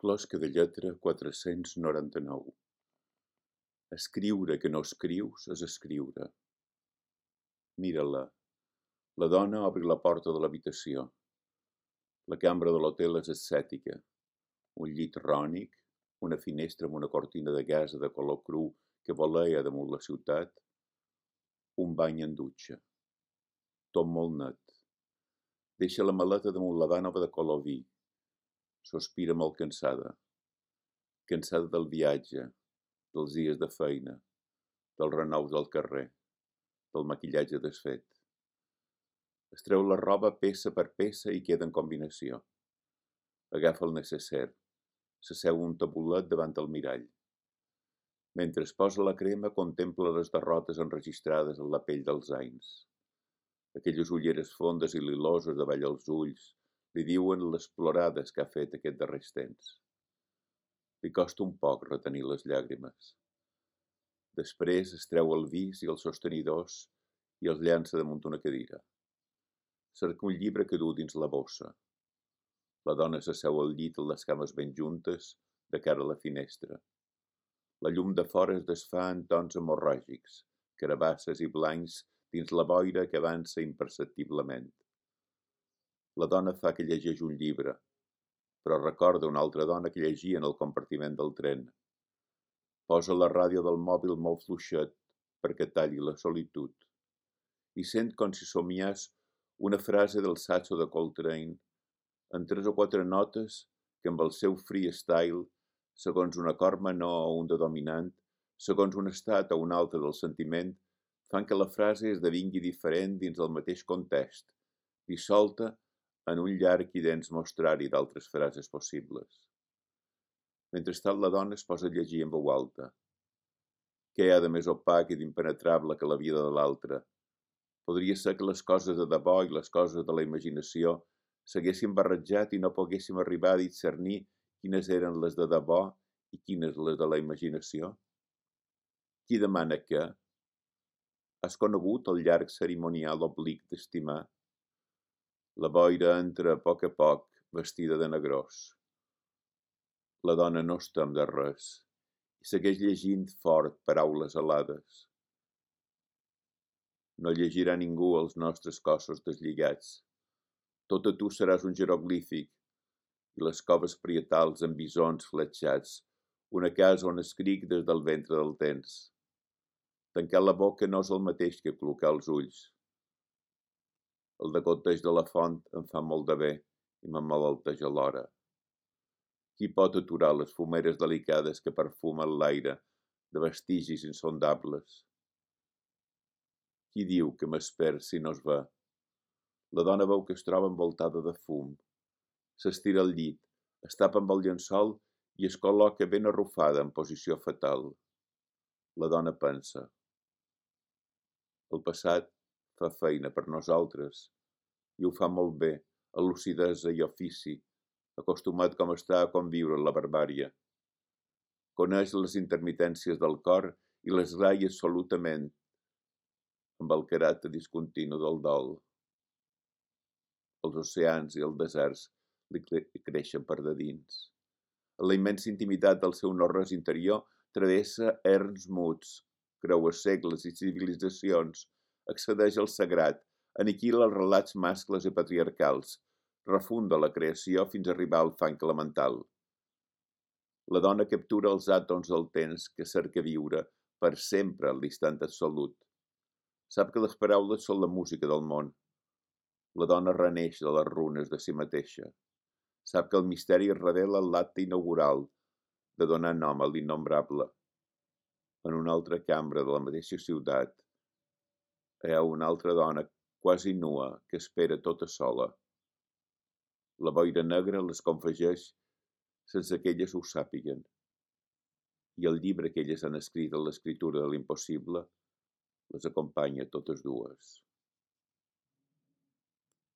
Closca de lletra 499. Escriure que no escrius és escriure. Mira-la. La dona obri la porta de l'habitació. La cambra de l'hotel és ascètica. Un llit rònic, una finestra amb una cortina de gasa de color cru que voleia damunt la ciutat, un bany en dutxa. Tot molt net. Deixa la maleta damunt la vànova de color vi. Sospira molt cansada. Cansada del viatge, dels dies de feina, dels renous del carrer, del maquillatge desfet. Es treu la roba peça per peça i queda en combinació. Agafa el necessaire, s'asseu un tabulet davant el mirall. Mentre es posa la crema, contempla les derrotes enregistrades en la pell dels anys. Aquelles ulleres fondes i liloses davall els ulls li diuen les plorades que ha fet aquest darrers temps. Li costa un poc retenir les llàgrimes. Després es treu el vis i els sostenidors i els llança damunt una cadira. Cerca un llibre que du dins la bossa. La dona s'asseu al llit amb les cames ben juntes, de cara a la finestra. La llum de fora es desfà en tons hemorràgics, carabasses i blancs dins la boira que avança imperceptiblement. La dona fa que llegeix un llibre, però recorda una altra dona que llegia en el compartiment del tren. Posa la ràdio del mòbil molt fluixet perquè talli la solitud i sent com si somiés una frase del Saxo de Coltrane en 3 o 4 notes que amb el seu freestyle, segons un acord menor o un de dominant, segons un estat o un altre del sentiment, fan que la frase esdevingui diferent dins el mateix context, dissolta en un llarg i dens mostrari d'altres frases possibles. Mentrestant la dona es posa a llegir en veu alta. Què hi ha de més opac i d'impenetrable que la vida de l'altre? Podria ser que les coses de debò i les coses de la imaginació s'haguessin barrejat i no poguéssim arribar a discernir quines eren les de debò i quines les de la imaginació? Qui demana què? Has conegut el llarg cerimonial oblic d'estimar? La boira entra a poc, vestida de negrós. La dona no es tem de res i segueix llegint fort paraules alades. No llegirà ningú els nostres cossos deslligats. Tot a tu seràs un jeroglífic i les coves prietals amb bisons fletxats, una casa on escric des del ventre del temps. Tancar la boca no és el mateix que col·locar els ulls. El degoteig de la font em fa molt de bé i m'emmalalteix alhora. Qui pot aturar les fumeres delicades que perfumen l'aire de vestigis insondables? Qui diu que m'espera si no es ve? La dona veu que es troba envoltada de fum. S'estira al llit, es tapa amb el llençol i es col·loca ben arrufada en posició fetal. La dona pensa. El passat fa feina per nosaltres i ho fa molt bé, amb lucidesa i ofici, acostumat com està a conviure amb la barbària. Coneix les intermitències del cor i les raia absolutament amb el caràcter discontinu del dol. Els oceans i els deserts li creixen per de dins. En la immensa intimitat del seu no-res interior travessa erms muts, creua segles i civilitzacions, accedeix al sagrat, aniquila els relats mascles i patriarcals, refunda la creació fins a arribar al fang elemental. La dona captura els àtoms del temps que cerca viure per sempre a l'instant absolut. Sap que les paraules són la música del món. La dona reneix de les runes de si mateixa. Sap que el misteri revela l'acte inaugural de donar nom a l'innombrable. En una altra cambra de la mateixa ciutat hi ha una altra dona quasi nua que espera tota sola. La boira negra les confegeix sense que elles ho sàpiguen. I el llibre que elles han escrit en l'escriptura de l'impossible les acompanya totes dues.